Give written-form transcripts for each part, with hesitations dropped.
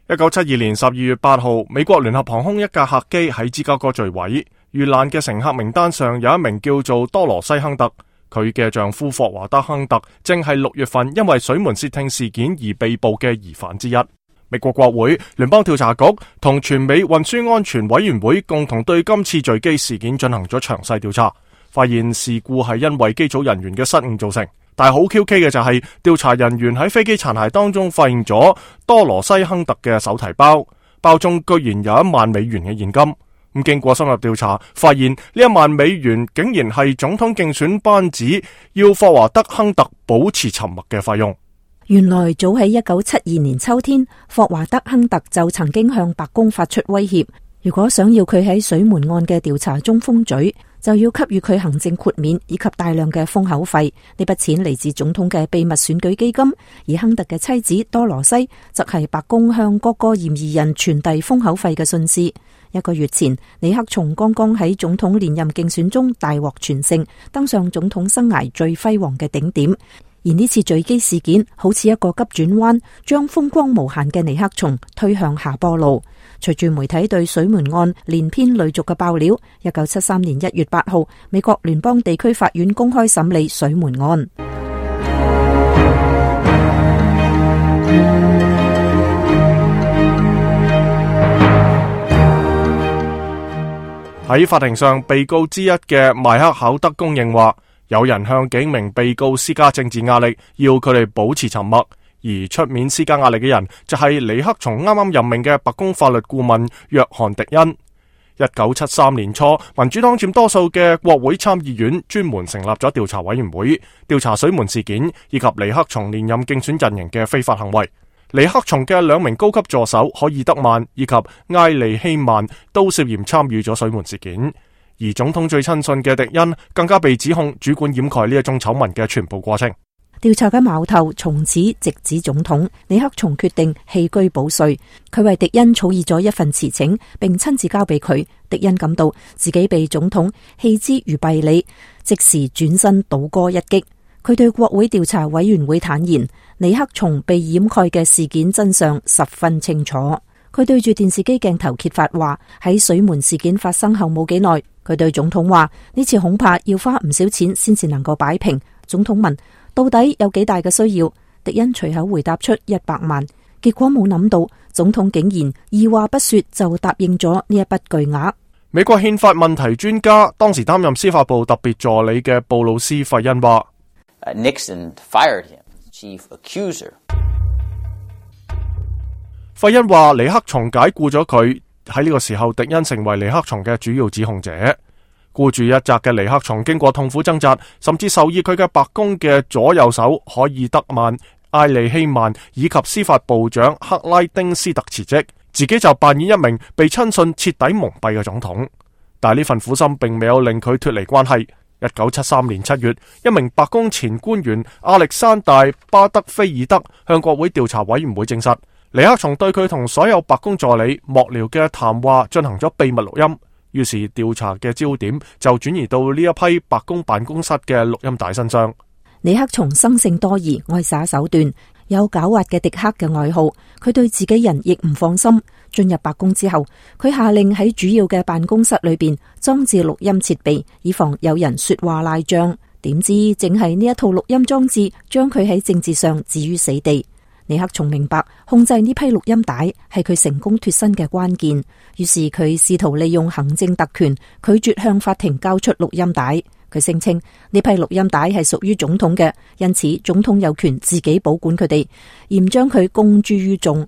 1972年12月8號，美國聯合航空一架客機喺芝加哥墜毀，遇難嘅乘客名單上有一名叫做多羅西·亨特，佢嘅丈夫霍華德·亨特正係6月份因為水門竊聽事件而被捕嘅疑犯之一。美國國會、聯邦調查局同全美運輸安全委員會共同對今次墜機事件進行咗詳細調查，發現事故係因為機組人員嘅失誤造成。但係好 QK 嘅就係調查人員喺飛機殘骸當中發現咗多羅西·亨特嘅手提包，包中居然有$10,000嘅現金。咁經過深入調查，發現呢$10,000竟然係總統競選班子要霍華德·亨特保持沉默嘅費用。原來早喺1972年秋天，霍華德·亨特就曾經向白宮發出威脅，如果想要佢喺水門案嘅調查中封嘴，就要給予佢行政豁免以及大量嘅封口費。呢筆錢嚟自總統嘅秘密選舉基金，而亨特嘅妻子多羅西則係白宮向各個嫌疑人傳遞封口費嘅信使。1個月前，尼克松剛剛喺總統連任競選中大獲全勝，登上總統生涯最輝煌嘅頂點。而呢次墜機事件好似一個急轉彎，將風光無限嘅尼克松推向下坡路。隨住媒體對水門案連篇累續嘅爆料，1973年1月8號，美國聯邦地區法院公開審理水門案。喺法庭上，被告之一嘅邁克考德供認話，有人向幾名被告施加政治壓力，要佢哋保持沉默，而出面施加壓力嘅人就係尼克松啱啱任命嘅白宮法律顧問約翰迪恩。1973年初，民主黨佔多數嘅國會參議院專門成立咗調查委員會，調查水門事件以及尼克松連任競選陣營嘅非法行為。尼克松嘅2名高級助手可爾德曼以及埃利希曼都涉嫌參與咗水門事件，而總統最親信嘅迪恩更加被指控主管掩蓋呢一宗醜聞嘅全部過程。調查嘅矛頭從此直指總統。尼克松決定棄車保帥，佢為迪恩草擬咗一份辭呈，並親自交俾佢。迪恩感到自己被總統棄之如敝履，即時轉身倒戈一擊。佢對國會調查委員會坦言，尼克松被掩蓋嘅事件真相十分清楚。佢對住電視機鏡頭揭發話，喺水門事件發生後冇幾耐，佢對總統話呢次恐怕要花唔少錢先至能夠擺平。總統問到底有幾大嘅需要，迪恩隨口回答出100萬。結果冇諗到總統竟然二話不說就答應咗呢一筆巨額。美國憲法問題專家，當時擔任司法部特別助理嘅布魯斯·費恩話Nixon fired him, chief accuser. 費恩話尼克松解僱咗佢，喺呢個時候迪恩成為尼克松嘅主要指控者。孤注一擲嘅尼克松經過痛苦掙扎，甚至授意佢嘅白宮嘅左右手可爾德曼、埃利希曼以及司法部長克拉丁斯特辭職，自己就扮演一名被親信徹底蒙蔽嘅總統。但係呢份苦心並未有令佢脫離關係。1973年7月，一名白宮前官員亞歷山大·巴德菲爾德向國會調查委員會證實，尼克松對佢同所有白宮助理、幕僚嘅談話進行咗秘密錄音。於是調查嘅焦點就轉移到呢一批白宮辦公室嘅錄音帶身上。尼克松生性多疑，愛耍手段，有狡猾嘅迪克嘅外號。佢對自己人亦唔放心。進入白宮之後，佢下令喺主要嘅辦公室裏邊裝置錄音設備，以防有人說話賴賬。點知正係呢一套錄音裝置將佢喺政治上置於死地。尼克松明白控制呢批錄音帶係佢成功脫身嘅關鍵，於是佢試圖利用行政特權拒絕向法庭交出錄音帶。佢聲稱呢批錄音帶係屬於總統嘅，因此總統有權自己保管佢哋，而唔將佢公諸於眾。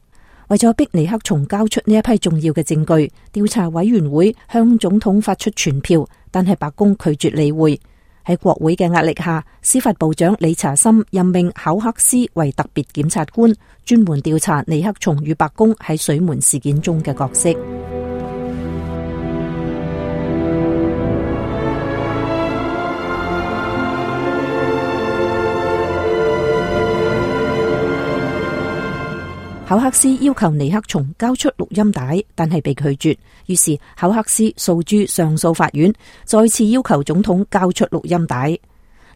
為咗逼尼克松交出呢一批重要嘅證據，調查委員會向總統發出傳票，但係白宮拒絕理會。喺國會嘅壓力下，司法部長理查森任命考克斯為特別檢察官，專門調查尼克松與白宮喺水門事件中嘅角色。考克斯要求尼克松交出錄音帶，但係被拒絕。於是考克斯訴諸上訴法院，再次要求總統交出錄音帶。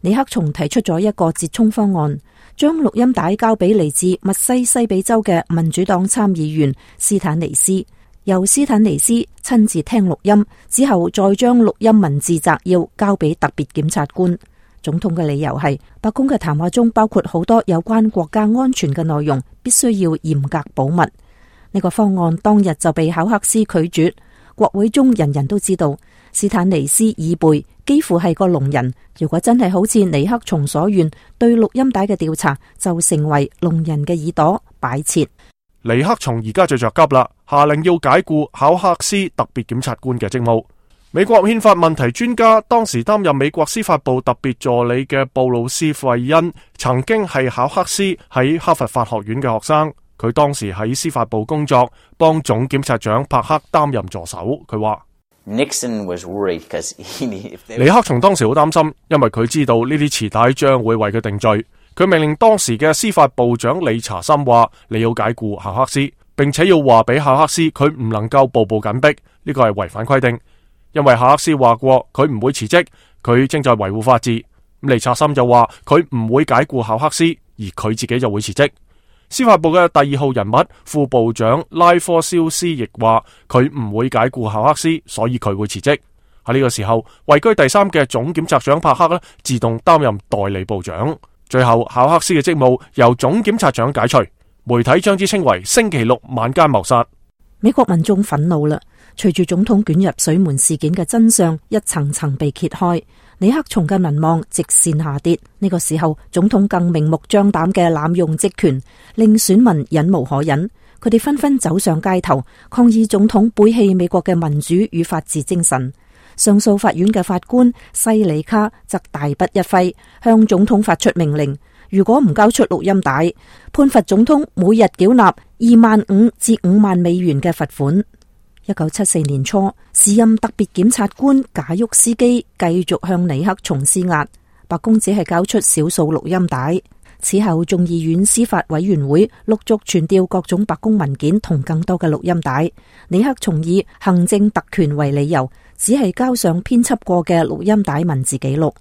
尼克松提出咗一個折衷方案，將錄音帶交俾嚟自密西西比州嘅民主黨參議員斯坦尼斯，由斯坦尼斯親自聽錄音之後，再將錄音文字摘要交俾特別檢察官。總統嘅理由係，白宮嘅談話中包括好多有關國家安全嘅內容，必須要嚴格保密。呢個方案當日就被考克斯拒絕。國會中人人都知道，斯坦尼斯耳背幾乎係個聾人。如果真係好似尼克松所願，對錄音帶嘅調查就成為聾人嘅耳朵擺設。尼克松而家最着急啦，下令要解雇考克斯特別檢察官嘅職務。美國憲法問題專家，當時擔任美國司法部特別助理嘅布魯斯費恩，曾經係考克斯喺哈佛法學院嘅學生。佢當時喺司法部工作，幫總檢察長帕克擔任助手。佢話尼克松當時好擔心，因為佢知道呢啲磁帶將會為佢定罪。佢命令當時嘅司法部長理查森話：你要解雇考克斯，並且要話俾考克斯佢唔能夠步步緊逼，呢個係違反規定。因為考克斯話過佢唔會辭職，佢正在維護法治。理查森就話佢唔會解雇考克斯，而佢自己就會辭職。司法部嘅第二號人物副部長拉科肖斯亦話佢唔會解雇考克斯，所以佢會辭職。喺呢個時候，位居第三嘅總檢察長帕克自動擔任代理部長。最後，考克斯嘅職務由總檢察長解除，媒體將之稱為星期六晚間謀殺。美國民眾憤怒啦，隨住總統捲入水門事件嘅真相一層層被揭開，尼克松嘅民望直線下跌。呢個時候，總統更明目張膽嘅濫用職權，令選民忍無可忍。佢哋紛紛走上街頭，抗議總統背棄美國嘅民主與法治精神。上訴法院嘅法官西里卡則大筆一揮，向總統發出命令：如果唔交出錄音帶，判罰總統每日繳納25,000至5萬美元嘅罰款。1974年初，時任特別檢察官賈沃斯基繼續向尼克松施壓，白宮只係交出少數錄音帶。此後，眾議院司法委員會陸續傳調各種白宮文件同更多嘅錄音帶。尼克松以行政特權為理由，只係交上編輯過嘅錄音帶文字記錄。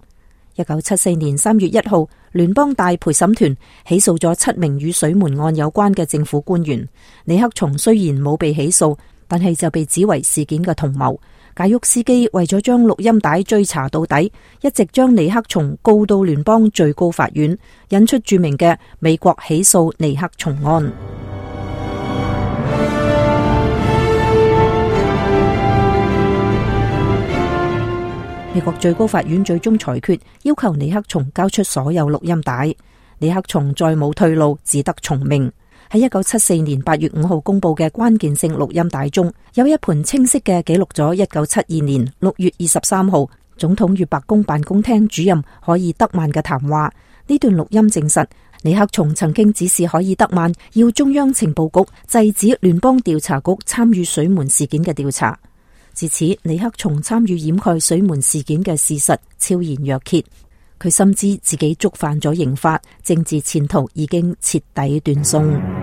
1974年3月1號，聯邦大陪審團起訴咗7名與水門案有關嘅政府官員。尼克松雖然冇被起訴，但係就被指為事件嘅同謀。賈沃斯基為咗將錄音帶追查到底，一直將尼克松告到聯邦最高法院，引出著名嘅美國起訴尼克松案。美國最高法院最終裁決，要求尼克松交出所有錄音帶。尼克松再冇退路，只得從命。喺1974年8月5號公布嘅關鍵性錄音帶中，有一盤清晰嘅記錄咗1972年6月23號總統與白宮辦公廳主任可爾德曼嘅談話。呢段錄音證實，尼克松曾經指示可爾德曼要中央情報局制止聯邦調查局參與水門事件嘅調查。自此，尼克松參與掩蓋水門事件嘅事實昭然若揭。佢深知自己觸犯咗刑法，政治前途已經徹底斷送。